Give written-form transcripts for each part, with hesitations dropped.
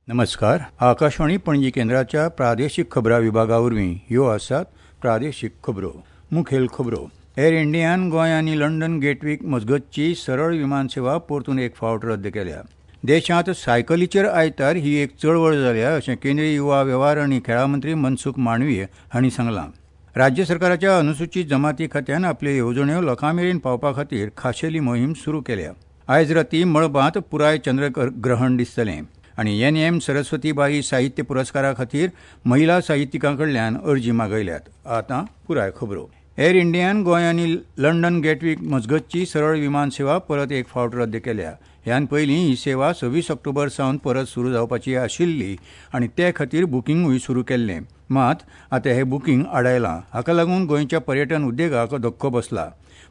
नमस्कार, आकाशवाणी पणजी केंद्राच्या प्रादेशीक खबरां विभागा वरवीं ह्यो आसात प्रादेशीक खबरो. मुखेल खबरो. एअर इंडियान गोंय आनी लंडन गेटवीक मजगतची सरळ विमान सेवा परतून एक फावट रद्द केल्या. देशांत सायकलीचेर आयतार ही एक चळवळ जाल्या अशें केंद्रीय युवा वेव्हार आनी खेळां मंत्री मनसुख मांडवीय हांणी सांगलां. राज्य सरकाराच्या अनुसूचीत जमाती खात्यान आपल्यो येवजण्यो लोकां मेरेन पावपा खातीर खाशेली मोहीम सुरू केल्या. आयज राती मळबांत पुराय चंद्रग्रहण दिसतलें आनी एन एम सरस्वतीबाई साहित्य पुरस्कारा खातीर महिला साहित्यिकां कडल्यान अर्जी मागयल्यात. आतां पुराय खबरो. एअर इंडियान गोंय आनी लंडन गेटवीक मजगतची सरळ विमान सेवा परत एक फावट रद्द केल्या. ह्यान पयलीं ही सेवा 26 ऑक्टोबर सावन परत सुरू जावपाची आशिल्ली आनी ते खातीर बुकिंगूय सुरू केल्लें. मात आतां हें बुकींग आडायलां. हाका लागून गोंयच्या पर्यटन उद्देगाक धक्को बसला.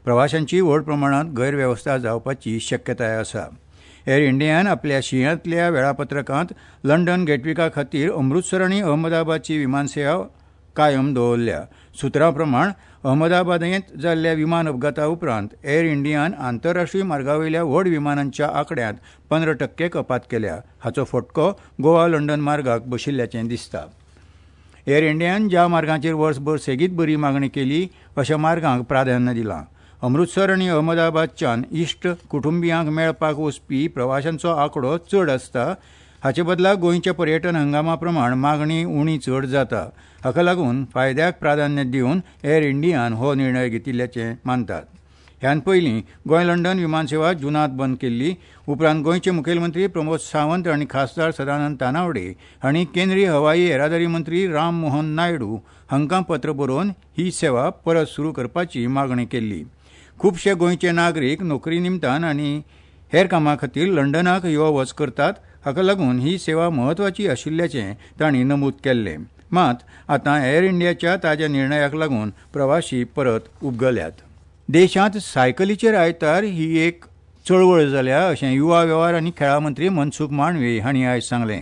प्रवाशांची व्हड प्रमाणांत गैरवेवस्था जावपाची शक्यताय आसा. एअर इंडियान आपल्या शिंयांतल्या वेळापत्रकांत लंडन गेटविका खातीर अमृतसर आनी अहमदाबादची विमानसेवा कायम दवरल्या. सुत्रां प्रमाण अहमदाबादेंत जाल्ल्या विमान अपघाता उपरांत एअर इंडियान आंतरराष्ट्रीय मार्गावयल्या व्हड विमानांच्या आंकड्यांत 15% कपात केल्या. हाचो फटको गोवा लंडन मार्गाक बशिल्ल्याचें दिसता. एअर इंडियान ज्या मार्गांचेर वर्सभर सेगीत बरी मागणी केली अशा मार्गांक प्राधान्य दिलां. अमृतसर आनी अहमदाबादच्यान इश्ट कुटुंबियांक मेळपाक वचपी प्रवाशांचो आंकडो चड आसता. हाचे बदला गोंयच्या पर्यटन हंगामा प्रमाण मागणी उणी चड जाता. हाका लागून फायद्याक प्राधान्य दिवन एअर इंडियान हो निर्णय घेतिल्ल्याचें मानतात. ह्यान पयलीं गोंय लंडन विमानसेवा जुनांत बंद केल्ली. उपरांत गोंयचे मुखेलमंत्री प्रमोद सावंत आनी खासदार सदानंद तानावडे हांणी केंद्रीय हवाई येरादारी मंत्री राम मोहन नायडू हांकां पत्र बरोवन ही सेवा परत सुरू करपाची मागणी केल्ली. खुबशे गोंयचे नागरीक नोकरी निमतान आनी हेर कामां खातीर लंडनाक यो वच करतात. हाका लागून ही सेवा म्हत्वाची आशिल्ल्याचें तांणी नमूद केल्लें. मात आतां एअर इंडियाच्या ताज्या निर्णयाक लागून प्रवाशी परत उबगल्यात. देशांत सायकलीचेर आयतार ही एक चळवळ जाल्या अशें युवा वेव्हार आनी खेळां मंत्री मनसुख मांडवीय हांणी आयज सांगलें.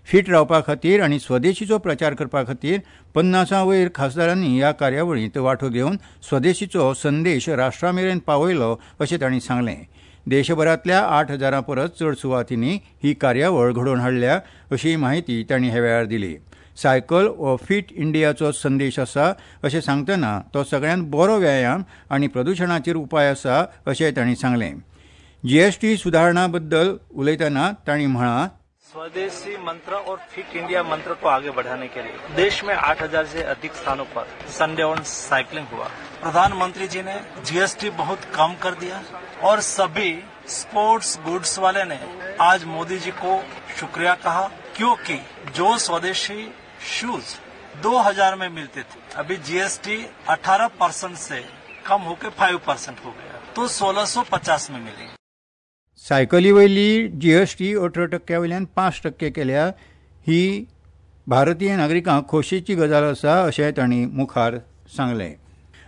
फीट रावपा खातीर आनी स्वदेशीचो प्रचार करपा खातीर 50 वयर खासदारांनी ह्या कार्यावळींत वांटो घेवन स्वदेशीचो संदेश राष्ट्रा मेरेन पावयलो अशें तांणी सांगलें. देशभरांतल्या 8,000 परस चड सुवातींनी ही कार्यावळ घडोवन हाडल्या अशी म्हायती तांणी ह्या वेळार दिली. सायकल हो फिट इंडियाचो संदेश आसा अशें सांगतना तो सगळ्यांत बरो व्यायाम आनी प्रदुशणाचेर उपाय आसा अशें तांणी सांगलें. जीएसटी सुदारणा बद्दल उलयतना तांणी म्हळां, स्वदेशी मंत्र और फिट इंडिया मंत्र को आगे बढ़ाने के लिए देश में 8,000 से अधिक स्थानों पर संडे ऑन साइकिलिंग हुआ. प्रधानमंत्री जी ने जीएसटी बहुत कम कर दिया और सभी स्पोर्ट्स गुड्स वाले ने आज मोदी जी को शुक्रिया कहा, क्योंकि जो स्वदेशी शूज 2,000 में मिलते थे, अभी जीएसटी 18% से कम होकर 5% हो गया, तो 1,650 में मिलेंगे. सायकली वयली जीएसटी 18% वयल्यान 5% केल्या ही भारतीय नागरिकांक खोशयेची गजाल आसा अशें तांणी मुखार सांगलें.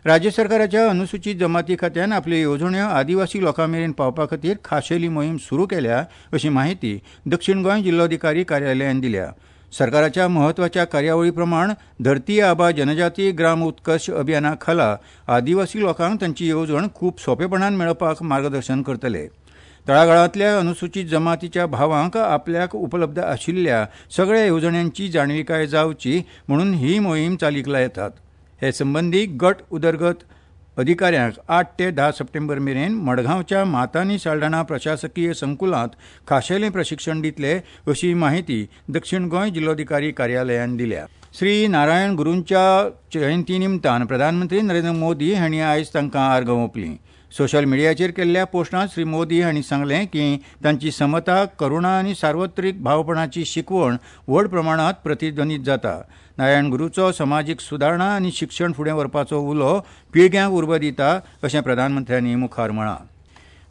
राज्य सरकाराच्या अनुसूचीत जमाती खात्यान आपल्यो येवजण्यो आदिवासी लोकां मेरेन पावपा खातीर खाशेली मोहीम सुरू केल्या अशी म्हायती दक्षिण गोंय जिल्लोधिकारी कार्यालयान दिल्या. सरकाराच्या म्हत्वाच्या कार्यावळी प्रमाण धरती आबा जनजाती ग्राम उत्कर्ष अभियाना खाला आदिवासी लोकांक तांची येवजण खूब सोंपेपणान मेळपाक मार्गदर्शन करतले. तळागाळांतल्या अनुसूचीत जमातीच्या भावांक आपल्याक उपलब्ध आशिल्ल्या सगळ्या येवजण्यांची जाणविकाय जावची म्हणून ही मोहीम चालीक लायतात. हे संबंदी गट उदरगत अधिकाऱ्यांक 8 ते 10 सप्टेंबर मेरेन मडगांवच्या मातानी साल्ढाणा प्रशासकीय संकुलांत खाशेलें प्रशिक्षण दितले अशी म्हायती दक्षिण गोंय जिल्लोधिकारी कार्यालयान दिल्या. श्री नारायण गुरूंच्या जयंती निमतान प्रधानमंत्री नरेंद्र मोदी हांणी आयज तांकां आर्गां ओंपलीं. सोशल मिडियाचेर केल्ल्या पोस्टांत श्री मोदी हांणी सांगलें की तांची समता, करुणा आनी सार्वत्रिक भावपणाची शिकवण व्हड प्रमाणांत प्रतिध्वनीत जाता. नारायण गुरूचो समाजीक सुदारणा आनी शिक्षण फुडें व्हरपाचो उलो पिळग्यांक उर्बा दिता अशें प्रधानमंत्र्यांनी मुखार म्हळां.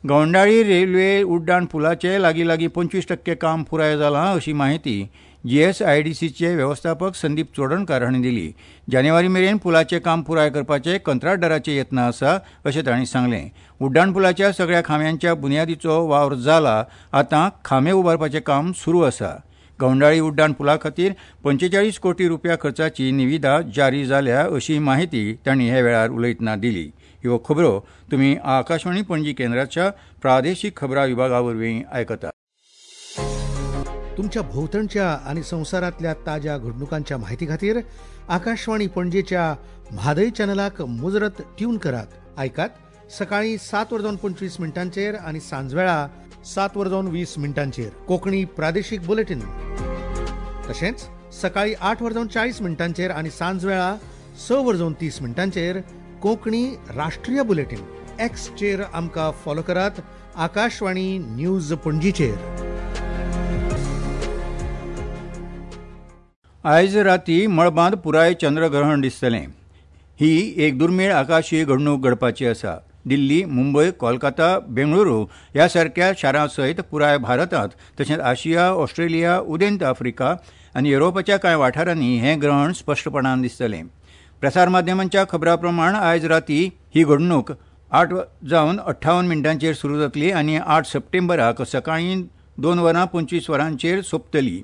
गवंडाळी रेल्वे उड्डाण पुलाचें लागीं लागीं 25% काम पुराय जालां अशी म्हायती जीएसआयडीसीचे वेवस्थापक संदीप चोडणकार हांणी दिली. जानेवारी मेरेन पुलाचें काम पुराय करपाचे कंत्राटदाराचे यत्न आसा अशें तांणी सांगलें. उड्डाण पुलाच्या सगळ्या खांब्यांच्या बुन्यादीचो वावर जाला, आतां खांबे उबारपाचें काम सुरू आसा. गवंडाळी उड्डाण पुला खातीर 45 कोटी रुपया खर्चाची निविदा जारी जाल्या अशी म्हायती तांणी ह्या वेळार उलयतना दिली. ह्यो खबरो तुमी आकाशवाणी पणजी केंद्राच्या प्रादेशीक खबरां विभागा वरवीं आयकतात. तुमच्या भोंवतणच्या आनी संवसारांतल्या ताज्या घडणुकांच्या माहिती खातीर आकाशवाणी पणजेच्या म्हादय चॅनलाक मुजरत ट्यून करात. आयकात सकाळी 7:25 आनी सांजवेळा 7:20 कोंकणी प्रादेशीक बुलेटीन. तशेंच सकाळी 8:40 आनी सांजवेळा 6:30 कोंकणी राष्ट्रीय बुलेटीन. एक्सचेर आमकां फॉलो करात आकाशवाणी न्यूज पणजीचेर. आयज राती मळबांत पुराय चंद्रग्रहण दिसतलें. ही एक दुर्मीळ आकाशीय घडणूक घडपाची आसा. दिल्ली, मुंबय, कोलकाता, बेंगळुरू ह्या सारक्या शारां सयत पुराय भारतांत तशेंच आशिया, ऑस्ट्रेलिया, उदेंत आफ्रिका आनी युरोपाच्या कांय वाठारांनी हें ग्रहण स्पश्टपणान दिसतलें. प्रसार माध्यमांच्या खबरां प्रमाण आयज राती ही घडणूक 8:58 सुरू जातली आनी 8 सप्टेंबराक सकाळीं 2:25 सोंपतली.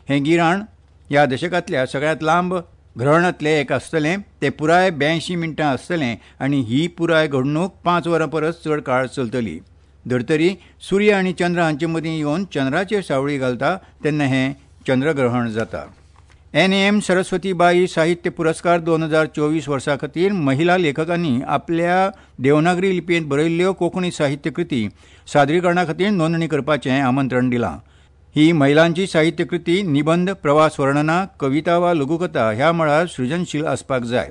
हें गिराण ह्या दशकांतल्या सगळ्यांत लांब ग्रहणांतलें एक आसतलें. तें पुराय 82 मिनटां आसतलें आनी ही पुराय घडणूक 5 वरां परस चड काळ चलतली. धर्तरी सूर्य आनी चंद्र हांचे मदीं येवन चंद्राचेर सावळी घालता तेन्ना हें चंद्रग्रहण जाता. एन.एम. सरस्वतीबाई साहित्य पुरस्कार 2024 वर्सा खातीर महिला लेखकांनी आपल्या देवनागरी लिपयेंत बरयल्ल्यो कोंकणी साहित्यकृती सादरीकरणा खातीर नोंदणी करपाचें आमंत्रण दिलां. ही महिलांची साहित्यकृती निबंद, प्रवास वर्णना, कविता वा लघुकथा ह्या मळार सृजनशील आसपाक जाय.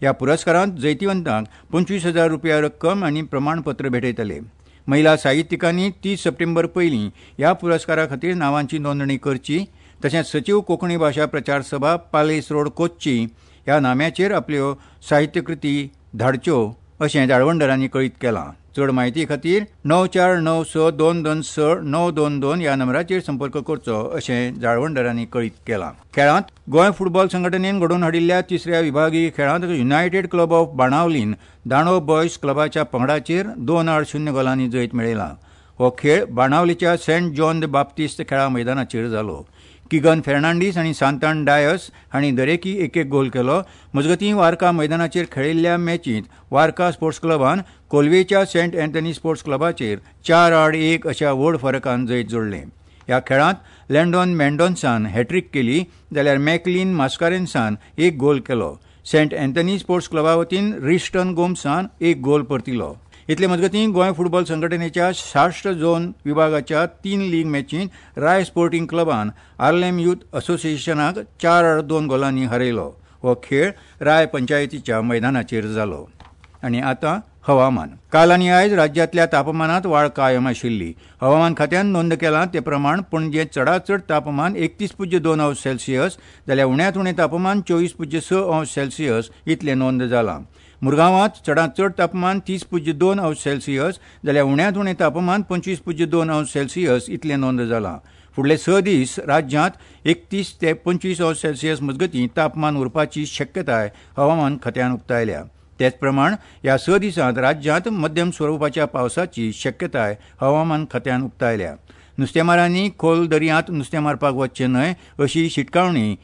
ह्या पुरस्कारांत जैतिवंतांक 25,000 रुपया रक्कम आनी प्रमाणपत्र भेटयतले. महिला साहित्यिकांनी 30 सप्टेंबर पयलीं ह्या पुरस्कारा खातीर नांवांची नोंदणी करची. तशेंच सचीव कोंकणी भाशा प्रचार सभा, पालेस रोड, कोच्ची ह्या नाम्याचेर आपल्यो साहित्यकृती धाडच्यो अशें जाळवणदारांनी कळीत केलां. चड म्हायती खातीर 94962269 922 ह्या नंबराचेर संपर्क करचो अशें जाळवणदारांनी कळीत केलां. खेळांत गोंय फुटबॉल संघटनेन घडोवन हाडिल्ल्या तिसऱ्या विभागीय खेळांत युनायटेड क्लब ऑफ बाणावलीन दांडो बॉयज क्लबाच्या पंगडाचेर 2-0 गोलांनी जैत मेळयलां. हो खेळ बाणावलीच्या सेंट जॉन the बाप्तिस्त खेळा मैदानाचेर जालो. किगन फेर्नांडीस आनी सांतान डायस हांणी दरेकी एक एक गोल केलो. मजगतीं वार्का मैदानाचेर खेळिल्ल्या मॅचींत वार्का स्पोर्ट्स क्लबान कोलवेच्या सेंट अँथनी स्पोर्ट्स क्लबाचेर 4-1 अशा व्हड फरकान जैत जोडलें. ह्या खेळांत लँडॉन मेंडोन्सान हॅट्रीक केली जाल्यार मॅकलीन मास्कारेन्सान एक गोल केलो. सेंट अँथनी स्पोर्ट्स क्लबा वतीन रिस्टन गोम्सान एक गोल परतिलो. इतले मजगतीं गोंय फुटबॉल संघटनेच्या साश्ट झोन विभागाच्या 3 लीग मॅचींत राय स्पोर्टिंग क्लबान आर्लेम यूथ असोसिएशनाक 4-2 गोलांनी हरयलो. हो खेळ राय पंचायतीच्या मैदानाचेर जालो. आनी आतां हवामान. काल आनी आयज राज्यांतल्या तापमानांत वाड कायम आशिल्ली. हवामान खात्यान नोंद केलां ते प्रमाण पणजेंत चडांत चड तापमान 31.2 अंश सेल्सियस जाल्यार उण्यांत उणें तापमान 24.6 अंश सेल्सियस इतलें नोंद जालां. मुरगांवांत चडांत चड तापमान 30.2 अंश सेल्सियस जाल्यार उण्यांत उणें तापमान 25.2 अंश सेल्सियस इतलें नोंद जालां. फुडले 6 दीस राज्यांत 31 ते 25 अंश सेल्सियस मजगतीं तापमान उरपाची शक्यताय हवामान खात्यान उक्तायल्या. तेच प्रमाण ह्या 6 दिसांत राज्यांत मध्यम स्वरुपाच्या पावसाची शक्यताय हवामान खात्यान उक्तायल्या. नुस्तेमारांनी खोल दर्यांत नुस्तें मारपाक वचचें न्हय अशी शिटकावणी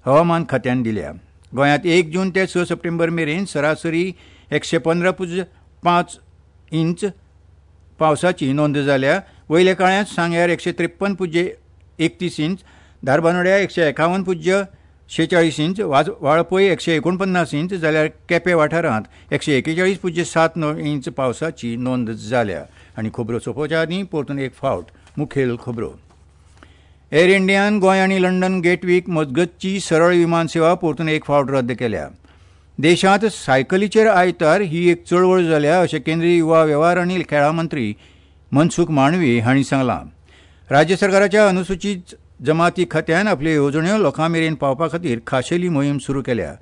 हवामान खात्यान दिल्या. गोंयांत 1 जून ते 6 सप्टेंबर मेरेन सरासरी 115.5 इंच पावसाची नोंद जाल्या. वयल्या काळांत सांग्यार 153.31 इंच, धारबानोड्या 151.46 इंच, वाळपय 149 इंच जाल्यार केपें वाठारांत 141.79 इंच पावसाची नोंद जाल्या. आनी खबरो सोंपोवच्या आदीं परतून एक फावट मुखेल खबरो. एअर इंडियान गोंय आनी लंडन गेटवीक मजगतची सरळ विमान सेवा परतून एक फावट रद्द केल्या. देशांत सायकलीचेर आयतार ही एक चळवळ जाल्या अशें केंद्रीय युवा वेव्हार आनी खेळां मंत्री मनसुख मांडवी हांणी सांगलां. राज्य सरकाराच्या अनुसूचीत जमाती खात्यान आपल्यो येवजण्यो लोकां मेरेन पावपा खातीर खाशेली मोहीम सुरू केल्या.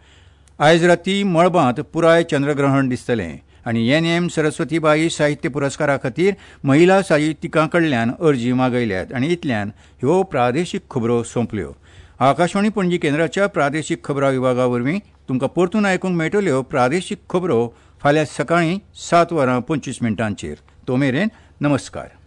आयज राती मळबांत पुराय चंद्रग्रहण दिसतलें आनी एन.एम. सरस्वतीबाई साहित्य पुरस्कारा खातीर महिला साहित्यिकां कडल्यान अर्जी मागयल्यात. आनी इतल्यान ह्यो प्रादेशीक खबरो सोंपल्यो. आकाशवाणी पणजी केंद्राच्या प्रादेशीक खबरां विभागा वरवीं तुमकां परतून आयकूंक मेळटल्यो प्रादेशीक खबरो फाल्यां सकाळीं 7:25. तो मेरेन नमस्कार.